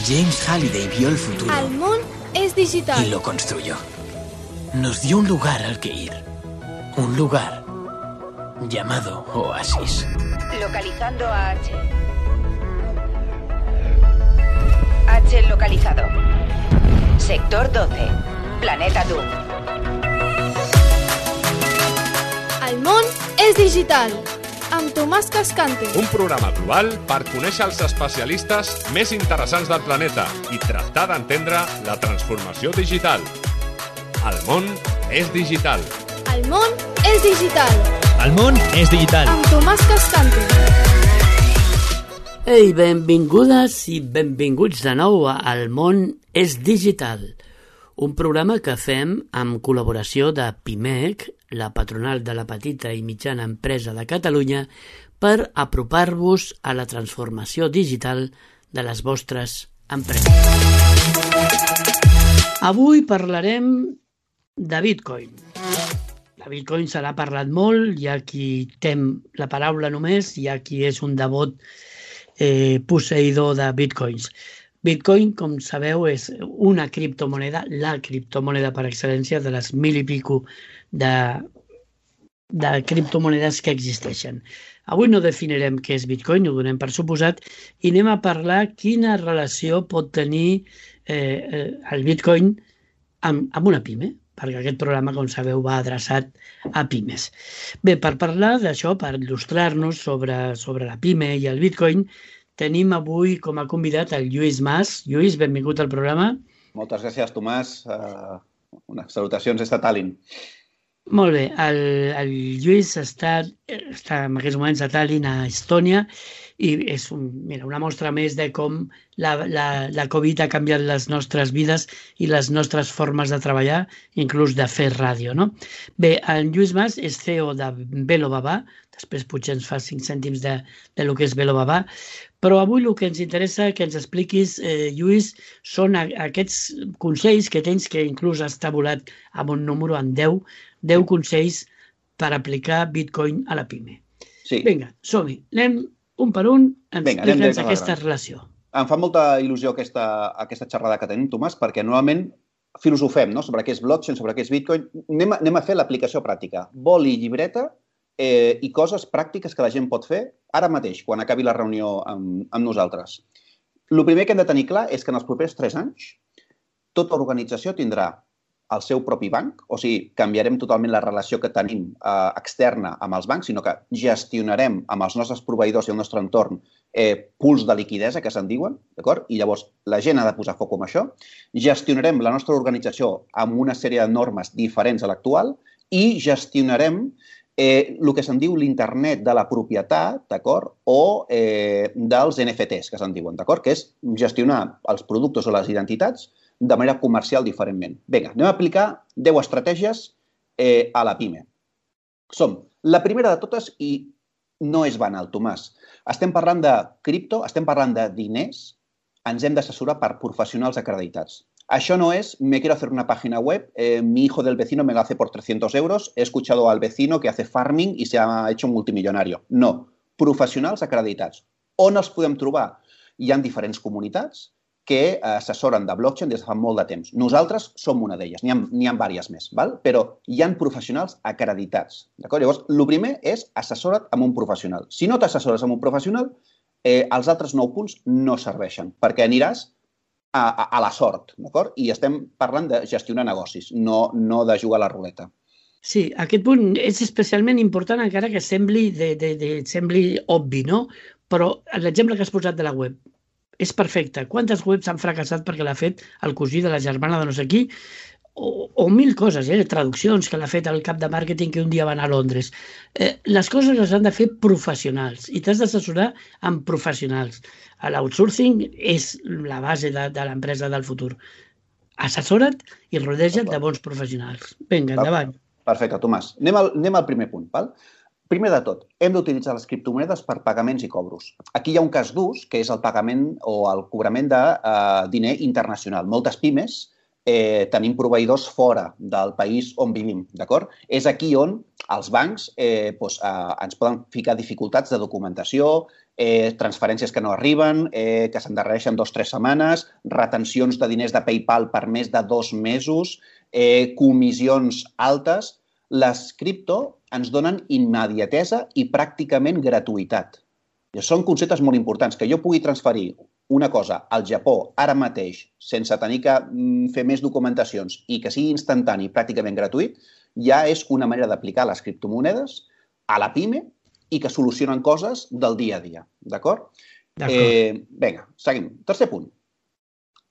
James Halliday vio el futuro. El món es digital. Y lo construyó. Nos dio un lugar al que ir. Un lugar llamado Oasis. Localizando a H. H localizado. Sector 12. Planeta Doom. El món és digital. Amb Tomàs Cascante. Un programa global per conèixer els especialistes més interessants del planeta i tractar d'entendre la transformació digital. El món és digital. El món és digital. El món és digital. Amb Tomàs Cascante. Ei, benvingudes i benvinguts de nou a El món és digital, un programa que fem amb col·laboració de PIMEC, la patronal de la petita i mitjana empresa de Catalunya, per apropar-vos a la transformació digital de les vostres empreses. Avui parlarem de Bitcoin. De Bitcoin se n'ha parlat molt, hi ha qui tem la paraula només, hi ha qui és un devot posseïdor de Bitcoins. Bitcoin, com sabeu, és una criptomoneda, la criptomoneda per excel·lència de les 1.000 i pico de criptomonedes que existeixen. Avui no definirem què és Bitcoin, ho donem per suposat, i anem a parlar quina relació pot tenir el Bitcoin amb una pime, perquè aquest programa, com sabeu, va adreçat a pimes. Bé, per parlar d'això, per il·lustrar-nos sobre la pime i el Bitcoin, tenim avui com a convidat el Lluís Mas. Lluís, benvingut al programa. Moltes gràcies, Tomàs. Unes salutacions des de Tallinn. Molt bé. El Lluís està en aquests moments a Tallinn, a Estònia, i és una mostra més de com la Covid ha canviat les nostres vides i les nostres formes de treballar, inclús de fer ràdio, no? Bé, el Lluís Mas és CEO de VeloBaba, després potser ens fa 5 cèntims de lo que és VeloBaba, però avui el que ens interessa que ens expliquis, Lluís, són aquests consells que tens, que inclús has tabulat amb un número en 10 consells per aplicar Bitcoin a la PIME. Sí. Vinga, som-hi. Anem un per un, explica'ns aquesta relació. Em fa molta il·lusió aquesta xerrada que tenim, Tomàs, perquè normalment filosofem, no?, sobre què és blockchain, sobre què és Bitcoin. Anem a fer l'aplicació pràctica. Boli i llibreta i coses pràctiques que la gent pot fer ara mateix, quan acabi la reunió amb nosaltres. El primer que hem de tenir clar és que en els propers 3 anys tota organització tindrà el seu propi banc, o sigui, canviarem totalment la relació que tenim externa amb els bancs, sinó que gestionarem amb els nostres proveïdors i el nostre entorn pools de liquidesa, que se'n diuen, d'acord? I llavors la gent ha de posar foc en això. Gestionarem la nostra organització amb una sèrie de normes diferents a l'actual i gestionarem el que se'n diu l'internet de la propietat, d'acord? O dels NFTs, que se'n diuen, d'acord? Que és gestionar els productes o les identitats de manera comercial diferentment. Vinga, anem a aplicar 10 estratègies a la PIME. La primera de totes, i no és banal, Tomàs, estem parlant de cripto, estem parlant de diners, ens hem d'assessorar per professionals acreditats. Això no es, me quiero hacer una página web, mi hijo del vecino me lo hace por 300 euros, he escuchado al vecino que hace farming y se ha hecho un multimillonario. No, professionals acreditats. On els podem trobar? Hi ha diferents comunitats que assessoren de blockchain des de fa molt de temps. Nosaltres som una d'elles, n'hi ha diverses més, però hi ha professionals acreditats. Llavors, el primer és assessora't amb un professional. Si no t'assessores amb un professional, els altres 9 punts no serveixen, perquè aniràs a la sort, d'acord? I estem parlant de gestionar negocis, no de jugar a la ruleta. Sí, aquest punt és especialment important, encara que sembli obvi, no? Però l'exemple que has posat de la web és perfecte. Quantes webs han fracassat perquè l'ha fet el cosí de la germana de no sé qui? O 1000 coses, traduccions que l'ha fet el cap de màrqueting que un dia va anar a Londres. Les coses les han de fer professionals i t'has d'assessorar amb professionals. L'outsourcing és la base de l'empresa del futur. Assessora't i rodeja't de bons professionals. Vinga, endavant. Perfecte, Tomàs. Anem al primer punt, val? Primer de tot, hem d'utilitzar les criptomonedes per pagaments i cobros. Aquí hi ha un cas d'ús, que és el pagament o el cobrament de diner internacional. Moltes pimes tenim proveïdors fora del país on vivim, d'acord? És aquí on els bancs ens poden ficar dificultats de documentació, transferències que no arriben, que s'endarrereixen 2 o 3 setmanes, retencions de diners de PayPal per més de 2 mesos, comissions altes. Les cripto ens donen immediatesa i pràcticament gratuïtat. I són conceptes molt importants, que jo pugui transferir una cosa al Japó ara mateix sense tenir que fer més documentacions i que sigui instantani i pràcticament gratuït, ja és una manera d'aplicar les criptomonedes a la PIME i que solucionen coses del dia a dia. D'acord? Vinga, seguim. Tercer punt.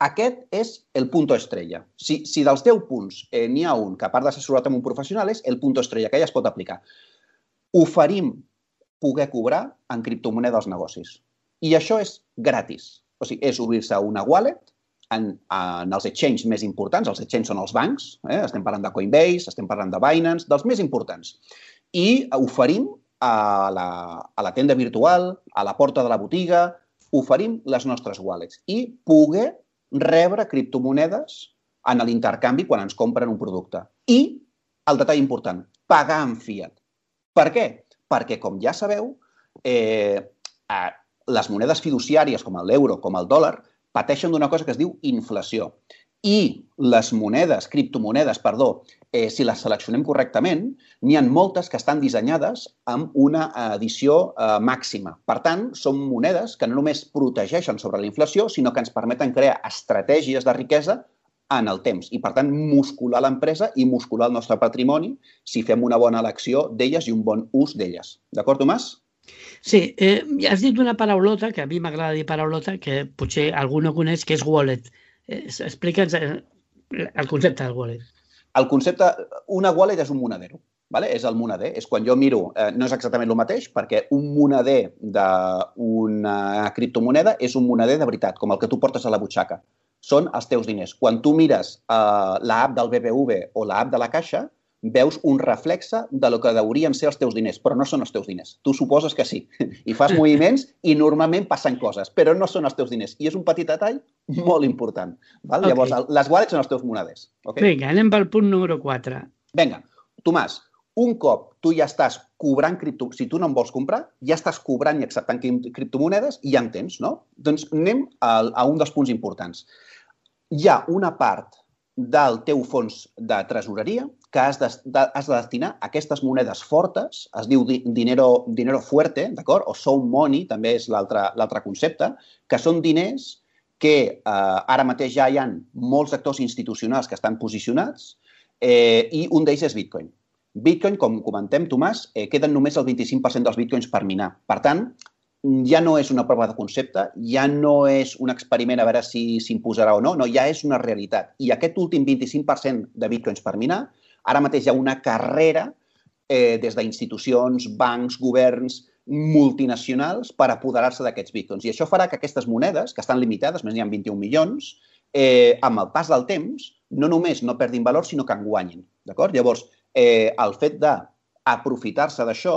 Aquest és el punto estrella. Si dels 10 punts n'hi ha un que, a part d'assessorat amb un professional, és el punto estrella, que ja es pot aplicar. Oferim poder cobrar en criptomoneda als negocis. I això és gratis. O sigui, és obrir-se una wallet en els exchanges més importants. Els exchanges són els bancs. Estem parlant de Coinbase, estem parlant de Binance, dels més importants. I oferim a la tenda virtual, a la porta de la botiga, oferim les nostres wallets i poder rebre criptomonedes en l'intercanvi quan ens compren un producte. I, el detall important, pagar en fiat. Per què? Perquè, com ja sabeu, les monedes fiduciàries, com l'euro, com el dòlar, pateixen d'una cosa que es diu inflació. I les criptomonedes, si les seleccionem correctament, n'hi ha moltes que estan dissenyades amb una edició màxima. Per tant, són monedes que no només protegeixen sobre la inflació, sinó que ens permeten crear estratègies de riquesa en el temps i, per tant, muscular l'empresa i muscular el nostre patrimoni si fem una bona elecció d'elles i un bon ús d'elles. D'acord, Tomàs? Sí, has dit una paraulota, que a mi m'agrada dir paraulota, que potser algú no coneix, que és wallet. Explica'ns el concepte del wallet. El concepte, una wallet és un monedero. És el moneder. És quan jo miro, no és exactament el mateix, perquè un moneder d'una criptomoneda és un moneder de veritat, com el que tu portes a la butxaca. Són els teus diners. Quan tu mires l'app del BBV o l'app de la Caixa, veus un reflexe de lo que haurien ser els teus diners, però no són els teus diners. Tu suposes que sí. I fas moviments i normalment passen coses, però no són els teus diners. I és un petit detall molt important. Okay. Llavors, les wallets són els teus moneders. Okay? Vinga, anem pel punt número 4. Vinga, Tomàs, un cop tu ja estàs cobrant si tu no en vols comprar, ja estàs cobrant i acceptant criptomonedes i ja en tens, no? Doncs anem a un dels punts importants. Hi ha una part del teu fons de tresoreria que has de destinar a aquestes monedes fortes, es diu dinero fuerte, d'acord? O sound money, també és l'altre concepte, que són diners que ara mateix ja hi ha molts actors institucionals que estan posicionats i un d'ells és Bitcoin. Bitcoin, com comentem, Tomàs, queden només el 25% dels bitcoins per minar. Per tant, ja no és una prova de concepte, ja no és un experiment a veure si s'imposarà o no, ja és una realitat. I aquest últim 25% de bitcoins per minar, ara mateix hi ha una carrera des d'institucions, bancs, governs, multinacionals per apoderar-se d'aquests bitcoins. I això farà que aquestes monedes, que estan limitades, més n'hi ha 21 milions, amb el pas del temps, no només no perdin valor, sinó que en guanyin. Llavors, el fet d'aprofitar-se d'això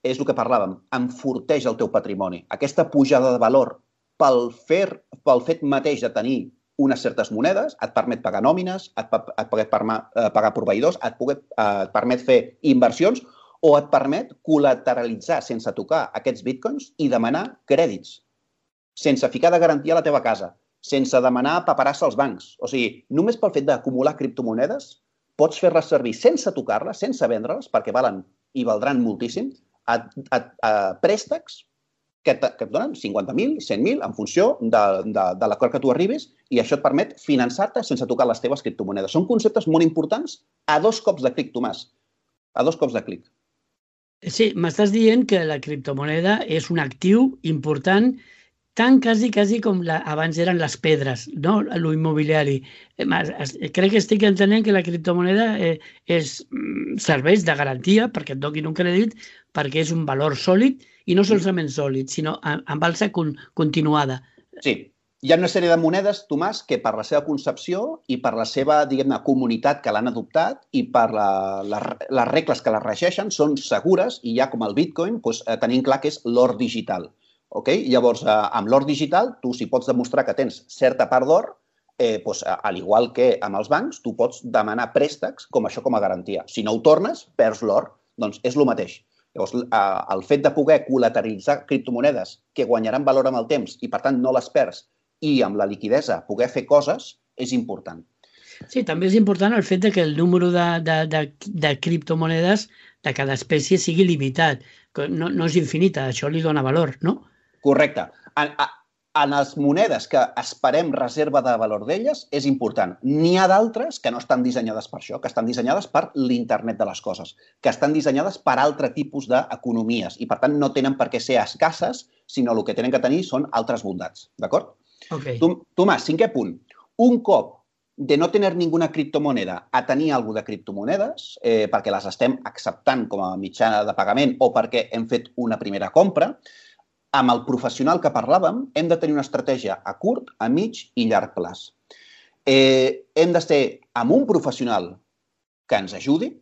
és el que parlàvem, enforteix el teu patrimoni. Aquesta pujada de valor pel fet mateix de tenir unes certes monedes et permet pagar nòmines, et permet pagar proveïdors, et permet fer inversions o et permet col·lateralitzar sense tocar aquests bitcoins i demanar crèdits, sense ficar de garantia a la teva casa, sense demanar paperassa als bancs. O sigui, només pel fet d'acumular criptomonedes pots fer-les servir sense tocar-les, sense vendre-les, perquè valen i valdran moltíssim, a préstecs que et donen 50.000, 100.000, en funció de l'acord que tu arribis, i això et permet finançar-te sense tocar les teves criptomonedes. Són conceptes molt importants a 2 cops de clic, Tomàs. A 2 cops de clic. Sí, m'estàs dient que la criptomoneda és un actiu important, tan quasi com abans eren les pedres, no? L'immobiliari. Crec que estic entenent que la criptomoneda serveix de garantia perquè et donin un crèdit, perquè és un valor sòlid, i no solament sòlid, sinó amb alça continuada. Sí. Hi ha una sèrie de monedes, Tomàs, que per la seva concepció i per la seva, diguem-ne, comunitat que l'han adoptat i per les regles que les regeixen són segures i ja com el Bitcoin tenim clar que és l'or digital. Llavors, amb l'or digital, tu si pots demostrar que tens certa part d'or, al igual que amb els bancs, tu pots demanar préstecs com això com a garantia. Si no ho tornes, perds l'or. Doncs és el mateix. Llavors, el fet de poder col·lateralitzar criptomonedes que guanyaran valor amb el temps i, per tant, no les perds, i amb la liquidesa poder fer coses, és important. Sí, també és important el fet que el número de criptomonedes de cada espècie sigui limitat. No és infinita, això li dona valor, no? Correcte. En les monedes que esperem reserva de valor d'elles és important. N'hi ha d'altres que no estan dissenyades per això, que estan dissenyades per l'internet de les coses, que estan dissenyades per altre tipus d'economies i, per tant, no tenen per què ser escasses, sinó el que tenen que tenir són altres bondats. D'acord? Okay. Tomàs, 5è punt. Un cop de no tener ninguna criptomoneda a tenir alguna de criptomonedes, perquè les estem acceptant com a mitjana de pagament o perquè hem fet una primera compra, amb el professional que parlàvem, hem de tenir una estratègia a curt, a mig i llarg plaç. Hem de ser amb un professional que ens ajudi.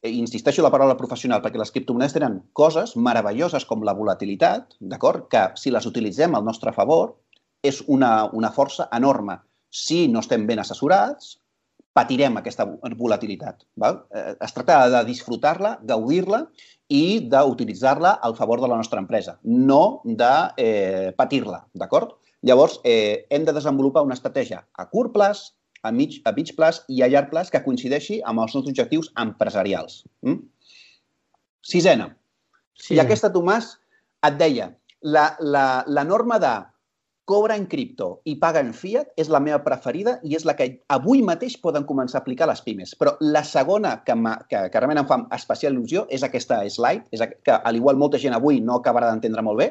Insisteixo en la paraula professional perquè les criptomonedes tenen coses meravelloses com la volatilitat, d'acord? Que si les utilitzem al nostre favor és una força enorme. Si no estem ben assessorats, patirem aquesta volatilitat. Val? Es tracta de disfrutar-la, gaudir-la i d'utilitzar-la al favor de la nostra empresa, no de patir-la, d'acord? Llavors, hem de desenvolupar una estratègia a curt plaç, a mig plaç i a llarg plaç que coincideixi amb els nostres objectius empresarials. 6è. I aquesta, Tomàs, et deia, la norma de cobra en cripto i paga en fiat és la meva preferida i és la que avui mateix poden començar a aplicar les pimes. Però la segona que realment em fa especial il·lusió és aquesta slide, que al igual molta gent avui no acabarà d'entendre molt bé,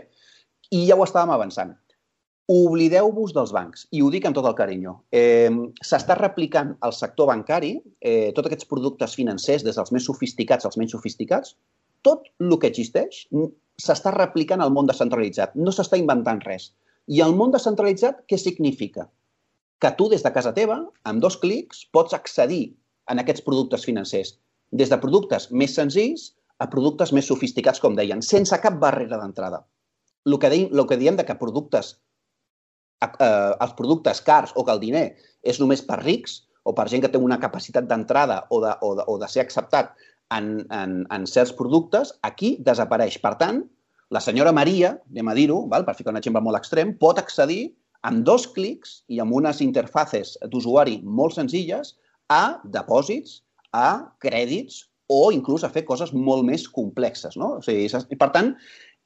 i ja ho estàvem avançant. Oblideu-vos dels bancs, i ho dic amb tot el carinyo. S'està replicant al sector bancari, tots aquests productes financers, des dels més sofisticats als menys sofisticats, tot el que existeix s'està replicant al món descentralitzat, no s'està inventant res. I el món descentralitzat, què significa? Que tu, des de casa teva, amb 2 clics, pots accedir a aquests productes financers. Des de productes més senzills a productes més sofisticats, com deien, sense cap barrera d'entrada. El que diem que els productes cars o que el diner és només per rics o per gent que té una capacitat d'entrada o de ser acceptat en certs productes, aquí desapareix. Per tant, la senyora Maria, anem a dir-ho, per ficar un exemple molt extrem, pot accedir amb 2 clics i amb unes interfaces d'usuari molt senzilles a depòsits, a crèdits o inclús a fer coses molt més complexes. No? O sigui, per tant,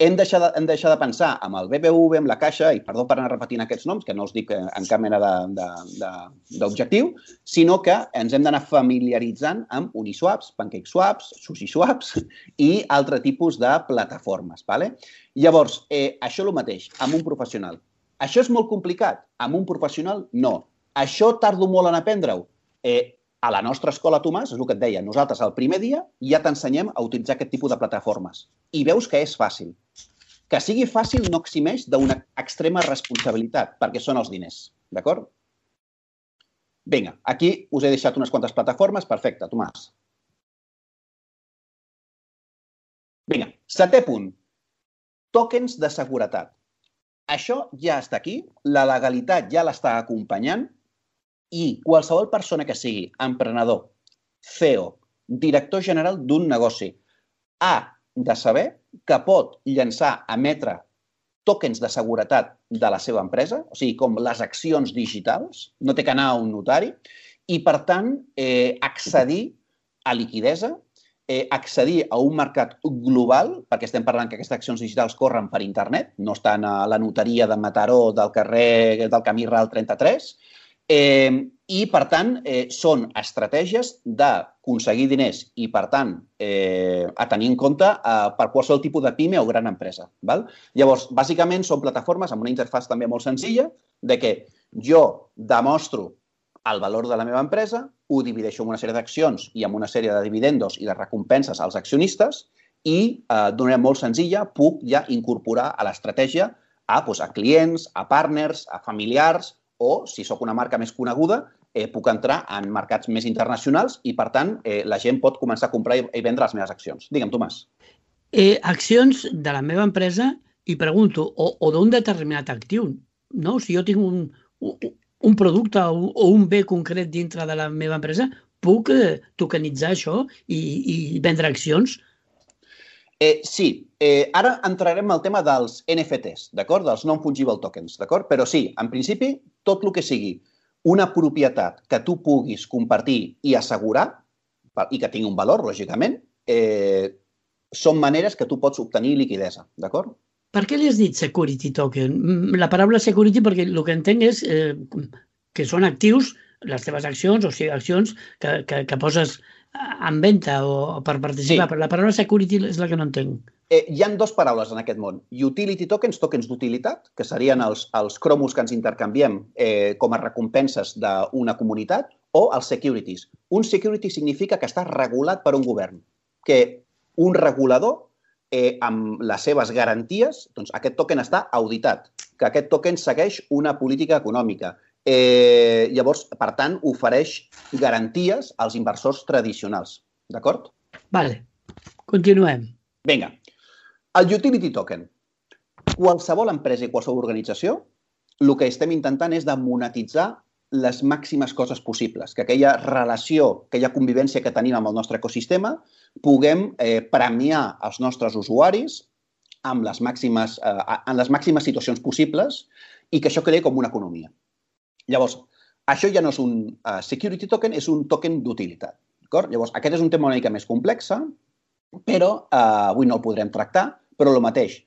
hem de deixar de pensar amb el BBV, amb la Caixa, i perdó per anar repetint aquests noms, que no els dic en cap mena d'objectiu, sinó que ens hem d'anar familiaritzant amb Uniswaps, PancakeSwaps, SushiSwaps i altre tipus de plataformes. Llavors, això és el mateix, amb un professional. Això és molt complicat? Amb un professional, no. Això tardo molt en aprendre-ho? A la nostra escola, Tomàs, és el que et deia, nosaltres el primer dia ja t'ensenyem a utilitzar aquest tipus de plataformes. I veus que és fàcil. Que sigui fàcil no eximeix d'una extrema responsabilitat, perquè són els diners. D'acord? Vinga, aquí us he deixat unes quantes plataformes. Perfecte, Tomàs. Vinga, 7è punt. Tokens de seguretat. Això ja està aquí, la legalitat ja l'està acompanyant i qualsevol persona que sigui emprenedor, CEO, director general d'un negoci, ha de saber que pot llançar, emetre tokens de seguretat de la seva empresa, o sigui, com les accions digitals, no té que anar a un notari, i, per tant, accedir a liquidesa, accedir a un mercat global, perquè estem parlant que aquestes accions digitals corren per internet, no estan a la notaria de Mataró del carrer del Camí Ral 33, i, per tant, són estratègies d'aconseguir diners i, per tant, a tenir en compte per qualsevol tipus de pime o gran empresa. Llavors, bàsicament, són plataformes amb una interfàs també molt senzilla de que jo demostro el valor de la meva empresa, ho divideixo en una sèrie d'accions i en una sèrie de dividendos i de recompenses als accionistes i, d'una manera molt senzilla, puc ja incorporar a l'estratègia a clients, a partners, a familiars, o, si sóc una marca més coneguda, puc entrar en mercats més internacionals i, per tant, la gent pot començar a comprar i vendre les meves accions. Digue'm, Tomàs. Accions de la meva empresa i pregunto, o d'un determinat actiu, no? Si jo tinc un producte o un bé concret dintre de la meva empresa, puc tokenitzar això i vendre accions? Sí, ara entrarem al tema dels NFTs, d'acord? Dels non-fungible tokens, d'acord? Però sí, en principi, tot el que sigui una propietat que tu puguis compartir i assegurar, i que tingui un valor, lògicament, són maneres que tu pots obtenir liquidesa, d'acord? Per què li has dit security token? La paraula security perquè el que entenc és que són actius, les teves accions, o sigui, accions que poses en venda o per participar, però la paraula security és la que no entenc. Hi ha dues paraules en aquest món. Utility tokens, tokens d'utilitat, que serien els cromos que ens intercanviem com a recompenses d'una comunitat, o els securities. Un security significa que està regulat per un govern, que un regulador, amb les seves garanties, doncs aquest token està auditat, que aquest token segueix una política econòmica. Llavors, per tant, ofereix garanties als inversors tradicionals. D'acord? Vale, continuem. Vinga. El utility token. Qualsevol empresa i qualsevol organització, el que estem intentant és de monetitzar les màximes coses possibles, que aquella relació, aquella convivència que tenim amb el nostre ecosistema, puguem premiar els nostres usuaris en les màximes situacions possibles i que això quedi com una economia. Llavors, això ja no és un security token, és un token d'utilitat. Llavors, aquest és un tema una mica més complex, però avui no el podrem tractar, però el mateix.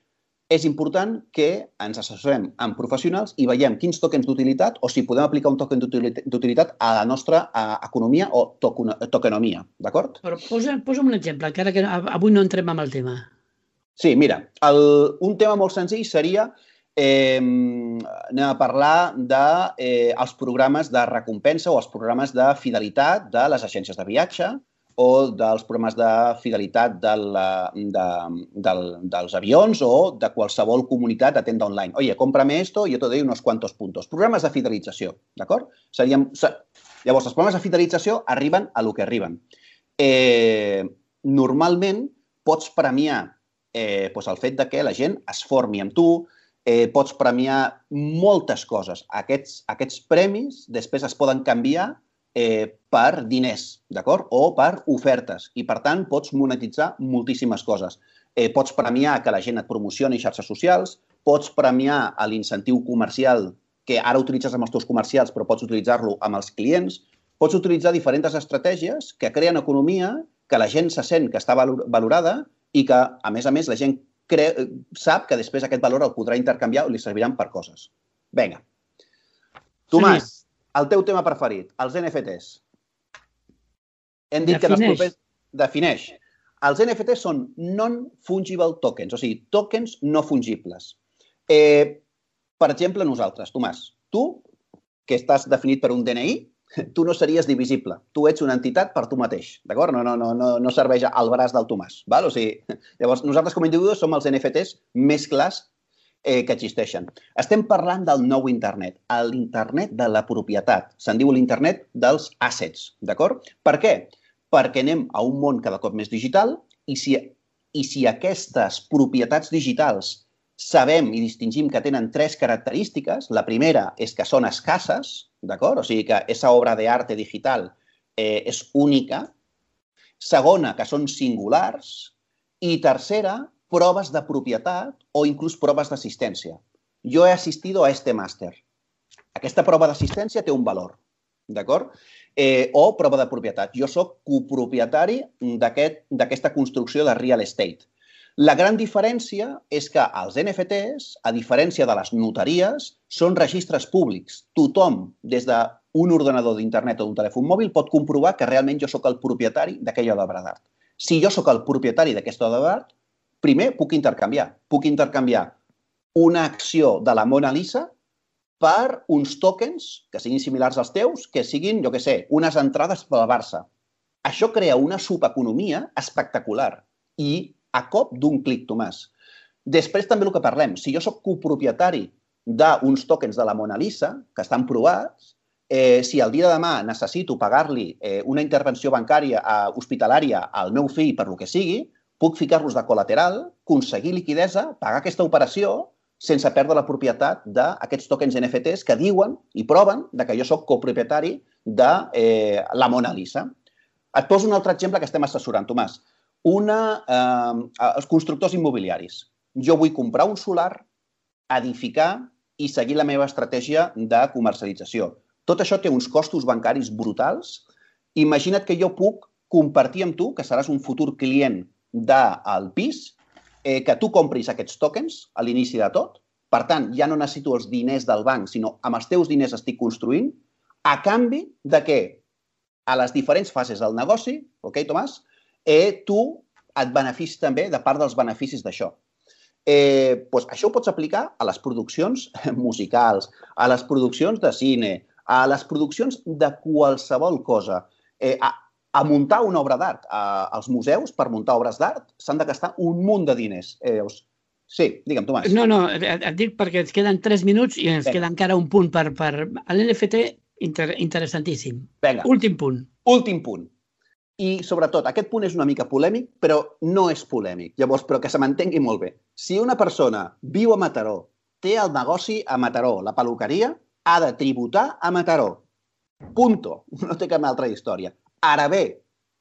És important que ens assessorem amb professionals i veiem quins tokens d'utilitat o si podem aplicar un token d'utilitat a la nostra economia o tokenomia, d'acord? Però posa'm un exemple, encara que avui no entrem en el tema. Sí, mira, un tema molt senzill seria anem a parlar dels programes de recompensa o els programes de fidelitat de les agències de viatge o dels programes de fidelitat dels avions o de qualsevol comunitat de tenda online. Oye, cómprame esto y yo te doy unos cuantos puntos. Programes de fidelització, d'acord? Llavors, els programes de fidelització arriben a lo que arriben. Normalment, pots premiar el fet que la gent es formi amb tu, pots premiar moltes coses. Aquests premis després es poden canviar per diners, d'acord? O per ofertes. I, per tant, pots monetitzar moltíssimes coses. Pots premiar que la gent et promocioni xarxes socials, pots premiar l'incentiu comercial que ara utilitzes amb els teus comercials, però pots utilitzar-lo amb els clients. Pots utilitzar diferents estratègies que creen economia, que la gent se sent que està valorada i que, a més, la gent sap que després aquest valor el podrà intercanviar o li serviran per coses. Vinga. Tomàs, el teu tema preferit, els NFTs. Hem dit que defineix. Els NFTs són non-fungible tokens, o sigui, tokens no fungibles. Per exemple, nosaltres, Tomàs, tu, que estàs definit per un DNI, tu no series divisible. Tu ets una entitat per tu mateix, d'acord? No serveix al braç del Tomàs. O sigui, llavors, nosaltres com a individus som els NFTs més clars que existeixen. Estem parlant del nou internet, l'internet de la propietat. Se'n diu l'internet dels assets, d'acord? Per què? Perquè anem a un món cada cop més digital i si aquestes propietats digitals sabem i distingim que tenen tres característiques, la primera és que són escasses, d'acord? O sigui que aquesta obra d'arte digital és única. Segona, que són singulars. I tercera, proves de propietat o inclús proves d'assistència. Jo he assistido a este màster. Aquesta prova d'assistència té un valor, d'acord? O prova de propietat. Jo soc copropietari d'aquesta construcció de real estate. La gran diferència és que els NFTs, a diferència de les notaries, són registres públics. Tothom, des d'un ordenador d'internet o d'un telèfon mòbil, pot comprovar que realment jo soc el propietari d'aquella obra d'art. Si jo soc el propietari d'aquesta obra d'art, primer puc intercanviar. Puc intercanviar una acció de la Mona Lisa per uns tokens que siguin similars als teus, que siguin, jo què sé, unes entrades pel Barça. Això crea una subeconomia espectacular i a cop d'un clic, Tomàs. Després també el que parlem. Si jo soc copropietari d'uns tokens de la Mona Lisa, que estan provats, si el dia de demà necessito pagar-li una intervenció bancària hospitalària al meu fill per lo que sigui, puc ficar-los de col·lateral, aconseguir liquidesa, pagar aquesta operació sense perdre la propietat d'aquests tokens NFTs que diuen i proven que jo sóc copropietari de la Mona Lisa. Et poso un altre exemple que estem assessorant, Tomàs. Els constructors immobiliaris. Jo vull comprar un solar, edificar i seguir la meva estratègia de comercialització. Tot això té uns costos bancaris brutals. Imagina't que jo puc compartir amb tu, que seràs un futur client del pis, que tu compris aquests tokens a l'inici de tot. Per tant, ja no necessito els diners del banc, sinó amb els teus diners estic construint, a canvi de que a les diferents fases del negoci, ok, Tomàs, tu et beneficis també de part dels beneficis d'això. Això ho pots aplicar a les produccions musicals, a les produccions de cine, a les produccions de qualsevol cosa, a muntar una obra d'art. Els museus, per muntar obres d'art, s'han de gastar un munt de diners. Sí, digue'm, Tomàs. No, et dic perquè ens queden 3 minuts i ens queda encara un punt per l'NFT interessantíssim. Vinga. Últim punt. Últim punt. I, sobretot, aquest punt és una mica polèmic, però no és polèmic. Llavors, però que se m'entengui molt bé. Si una persona viu a Mataró, té el negoci a Mataró, la peluqueria, ha de tributar a Mataró. Punto. No té cap altra història. Ara bé,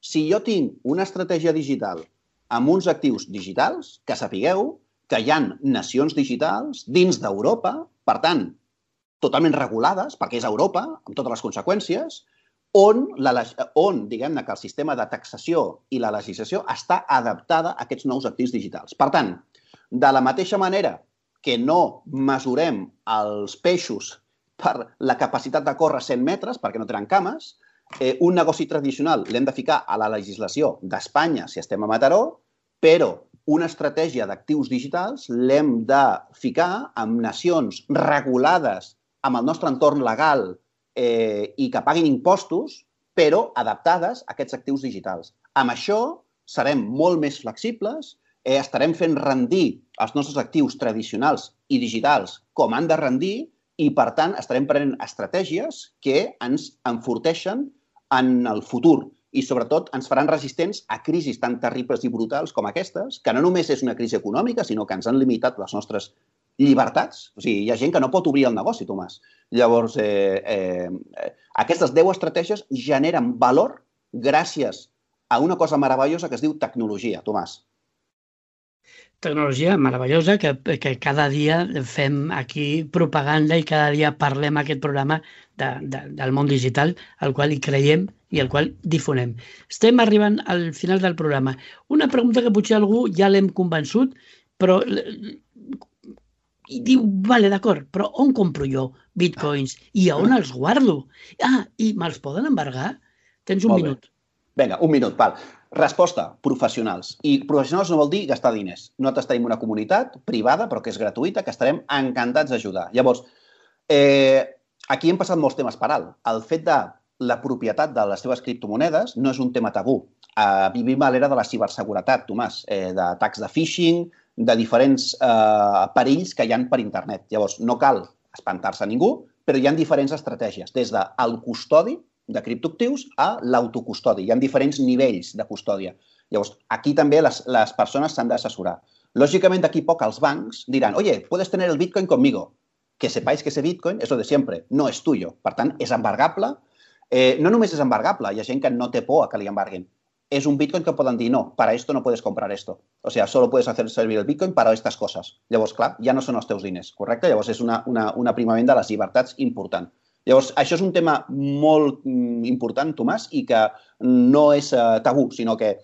si jo tinc una estratègia digital amb uns actius digitals, que sapigueu que hi ha nacions digitals dins d'Europa, per tant, totalment regulades, perquè és Europa, amb totes les conseqüències, on diguem-ne que el sistema de taxació i la legislació està adaptada a aquests nous actius digitals. Per tant, de la mateixa manera que no mesurem els peixos per la capacitat de córrer 100 metres, perquè no tenen cames, un negoci tradicional l'hem de ficar a la legislació d'Espanya si estem a Mataró, però una estratègia d'actius digitals l'hem de ficar amb nacions regulades amb el nostre entorn legal i que paguin impostos, però adaptades a aquests actius digitals. Amb això serem molt més flexibles, estarem fent rendir els nostres actius tradicionals i digitals com han de rendir i, per tant, estarem prenent estratègies que ens enforteixen en el futur i, sobretot, ens faran resistents a crisis tan terribles i brutals com aquestes, que no només és una crisi econòmica, sinó que ens han limitat les nostres llibertats. O sigui, hi ha gent que no pot obrir el negoci, Tomàs. Llavors, aquestes 10 estratègies generen valor gràcies a una cosa meravellosa que es diu tecnologia, Tomàs. Tecnologia meravellosa que cada dia fem aquí propaganda i cada dia parlem aquest programa del món digital, al qual hi creiem i al qual difonem. Estem arribant al final del programa. Una pregunta que potser algú ja l'hem convençut, però i diu, vale, d'acord, però on compro jo bitcoins i a on els guardo? I me'ls poden embargar? Tens un minut. Vinga, un minut, val. Resposta, professionals. I professionals no vol dir gastar diners. Nosaltres tenim una comunitat privada, però que és gratuïta, que estarem encantats d'ajudar. Llavors, aquí hem passat molts temes per alt. El fet de la propietat de les teves criptomonedes no és un tema tabú. Vivim a l'era de la ciberseguretat, Tomàs, d'atacs de phishing, de diferents perills que hi ha per internet. Llavors, no cal espantar-se a ningú, però hi ha diferents estratègies, des del custodi de criptoactius a l'autocustodi. Hi ha diferents nivells de custòdia. Llavors, aquí també les persones s'han d'assessorar. Lògicament, d'aquí poc els bancs diran, oye, puedes tener el Bitcoin conmigo. Que sepáis que ese Bitcoin es lo de siempre, no es tuyo. Per tant, és embargable. No només és embargable, hi ha gent que no té por a que li embarguin. Es un Bitcoin que poden dir, no, para esto no puedes comprar esto. O sea, solo puedes hacer servir el Bitcoin para estas cosas. Llavors, clar, ja no són els teus diners, correcte? Llavors, és un aprimament de les llibertats important. Llavors, això és un tema molt important, Tomàs, i que no és tabú, sinó que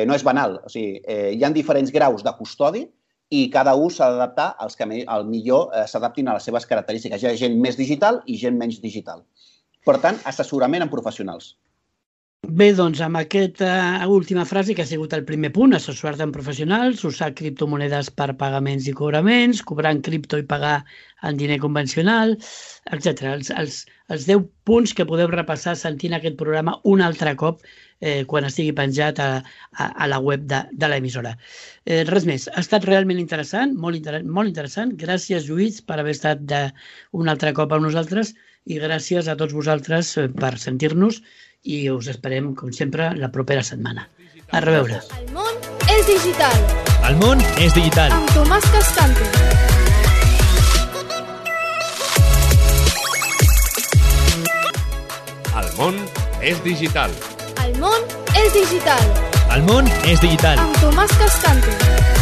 no és banal. O sigui, hi ha diferents graus de custodi i cada un s'ha d'adaptar als que millor s'adaptin a les seves característiques. Hi ha gent més digital i gent menys digital. Per tant, assessorament amb professionals. Bé, doncs, amb aquesta última frase, que ha sigut el primer punt, assessorar-te amb professionals, usar criptomonedes per pagaments i cobraments, cobrar en cripto i pagar en diner convencional, etc. Els 10 punts que podeu repassar sentint aquest programa un altre cop quan estigui penjat a la web de l'emissora. Res més. Ha estat realment interessant, molt interessant. Gràcies, Lluís, per haver estat un altre cop amb nosaltres i gràcies a tots vosaltres per sentir-nos i us esperem, com sempre, la propera setmana. A reveure. El món és digital. El món és digital. Amb Tomàs Cascante. món és digital. El món és digital. El món és digital. Amb Tomàs Cascante.